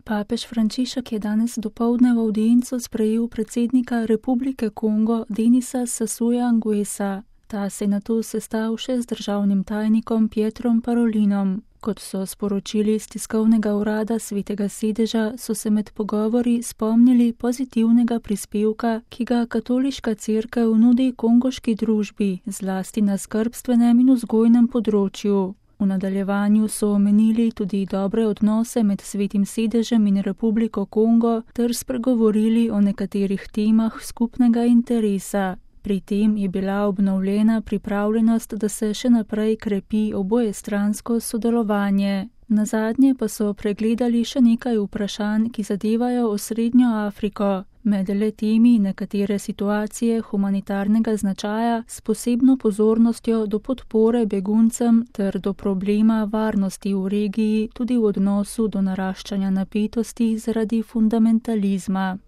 Papež Frančišek je danes dopoldne v avdienco sprejel predsednika Republike Kongo Denisa Sasuja Nguessa. Ta se je nato sestal še z državnim tajnikom Pietrom Parolinom. Kot so sporočili iz tiskovnega urada Svetega sedeža, so se med pogovori spomnili pozitivnega prispevka, ki ga katoliška cerkev nudi kongoški družbi, zlasti na skrbstvenem in vzgojnem področju. V nadaljevanju so omenili tudi dobre odnose med Svetim sedežem in Republiko Kongo ter spregovorili o nekaterih temah skupnega interesa. Pri tem je bila obnovljena pripravljenost, da se še naprej krepi obojestransko sodelovanje. Nazadnje pa so pregledali še nekaj vprašanj, ki zadevajo osrednjo Afriko. Med le-temi nekatere situacije humanitarnega značaja s posebno pozornostjo do podpore beguncem ter do problema varnosti v regiji, tudi v odnosu do naraščanja napetosti zaradi fundamentalizma.